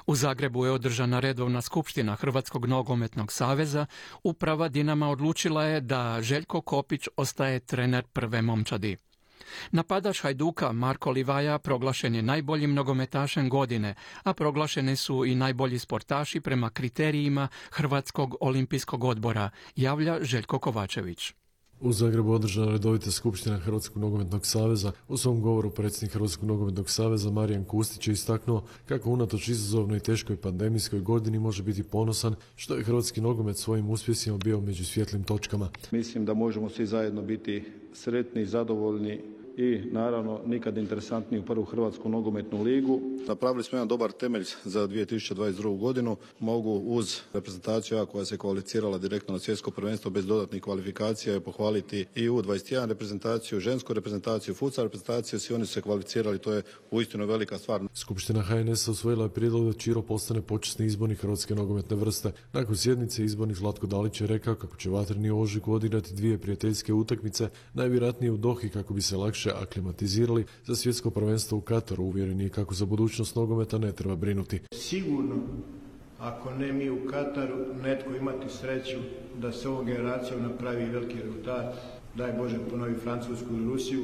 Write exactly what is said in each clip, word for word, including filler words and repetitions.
U Zagrebu je održana redovna skupština Hrvatskog nogometnog saveza. Uprava Dinama odlučila je da Željko Kopić ostaje trener prve momčadi. Napadač Hajduka Marko Livaja proglašen je najboljim nogometašem godine, a proglašeni su i najbolji sportaši prema kriterijima Hrvatskog olimpijskog odbora, javlja Željko Kovačević. U Zagrebu održana redovita skupština Hrvatskog nogometnog saveza. U svom govoru predsjednik Hrvatskog nogometnog saveza Marijan Kustić je istaknuo kako unatoč izazovnoj i teškoj pandemijskoj godini može biti ponosan što je hrvatski nogomet svojim uspjesima bio među svjetlim točkama. Mislim da možemo svi zajedno biti sretni i zadovoljni i naravno nikad interesantniji u prvu Hrvatsku nogometnu ligu. Napravili smo jedan dobar temelj za dvije tisuće dvadeset drugu godinu. Mogu uz reprezentaciju koja se kvalificirala direktno na svjetsko prvenstvo bez dodatnih kvalifikacija pohvaliti i U dvadeset jedan reprezentaciju, žensku reprezentaciju, futsal reprezentaciju, svi oni su se kvalificirali, to je uistinu velika stvar. Skupština H N S-a usvojila je prijedlog da Čiro postane počasni izbornik hrvatske nogometne vrste. Nakon sjednice izbornik Zlatko Dalić je rekao kako će vatreni u ožujku odigrati dvije prijateljske utakmice, najvjerojatnije u Dohi kako bi se lakše aklimatizirali za svjetsko prvenstvo u Kataru. Uvjereni je kako za budućnost nogometa ne treba brinuti. Sigurno, ako ne mi u Kataru, netko imati sreću da se ovom generacijom napravi veliki rezultat, daj Bože ponovi Francusku ili Rusiju,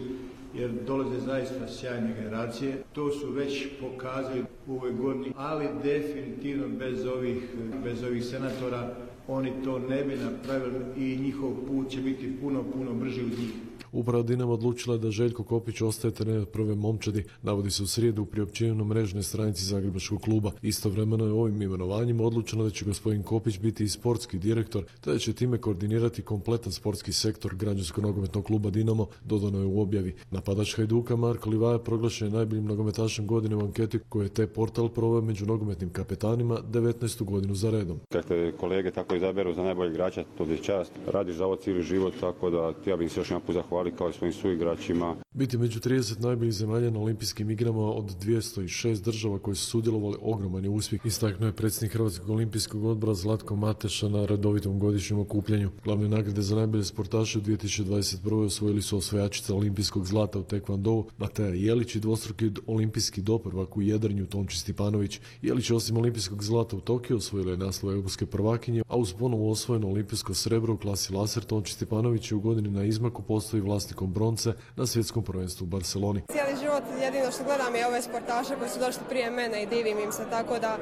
jer dolaze zaista sjajne generacije. To su već pokazali u ovoj godini, ali definitivno bez ovih, bez ovih senatora oni to ne bi napravili i njihov put će biti puno, puno brži od njih. Uprava Dinama odlučila je da Željko Kopić ostaje trener prve momčadi, navodi se u srijedu u priopćenju na mrežnoj stranici Zagrebačkog kluba. Istovremeno je ovim imenovanjima odlučeno da će gospodin Kopić biti i sportski direktor, te da će time koordinirati kompletan sportski sektor građansko-nogometnog kluba Dinamo, dodano je u objavi. Napadač Hajduka Marko Livaja proglašen je najboljim nogometašem godine u anketi koju je te portal proveo među nogometnim kapetanima devetnaestu godinu za redom. Kad te kolege tako izaberu za najboljeg igrača, to je čast. Radiš za ovo cijeli život, tako da ja bih se još jedan put zahvalio kao i svojim suigračima. Biti među trideset najboljih zemalja na olimpijskim igrama od dvjesto šest država koji su sudjelovali ogroman je uspjeh, istaknuo je predsjednik Hrvatskog olimpijskog odbora Zlatko Mateša na redovitom godišnjem okupljanju. Glavne nagrade za najbolje sportaše u dvije tisuće dvadeset prvoj osvojili su osvajačica olimpijskog zlata u tekvondou Mateja Jelić i dvostruki olimpijski doprvak u jedrenju Tonči Stipanović. Jelić osim olimpijskog zlata u Tokiju osvojila je naslov europske prvakinje, a uz ponovo osvojeno olimpijsko srebro u klasi laser Tonči Stipanović je u godini na izmaku postoji vlasnikom bronce na svjetskom prvenstvu u Barceloni. Cijeli život jedino što gledam je ove sportaše koji su došli prije mene i divim im se, tako da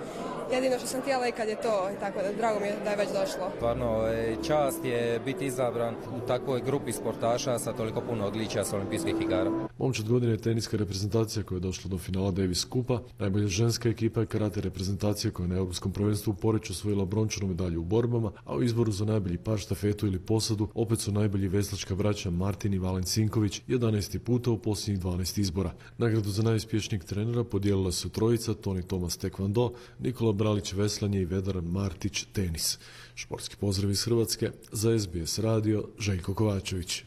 jedino što sam htjela i kad je to, tako da drago mi je da je već došlo. Stvarno, čast je biti izabran u takvoj grupi sportaša sa toliko puno odličja sa olimpijskih igara. Momčad godine je teniska reprezentacija koja je došla do finala Davis Kupa, najbolja ženska ekipa je karate reprezentacija koja je na europskom prvenstvu u Poreču osvojila brončanu medalju u borbama, a u izboru za najbolji par, štafetu ili posadu opet su najbolji veslačka braća Martin i Valen Sinković jedanaesti puta u posljednjih dvanaest izbora. Nagradu za najuspješnijeg trenera podijelila su trojica, Toni Tomas tekvando, Nikola Bralić veslanje i Vedar Martić tenis. Športski pozdrav iz Hrvatske, za S B S radio Željko Kovačević.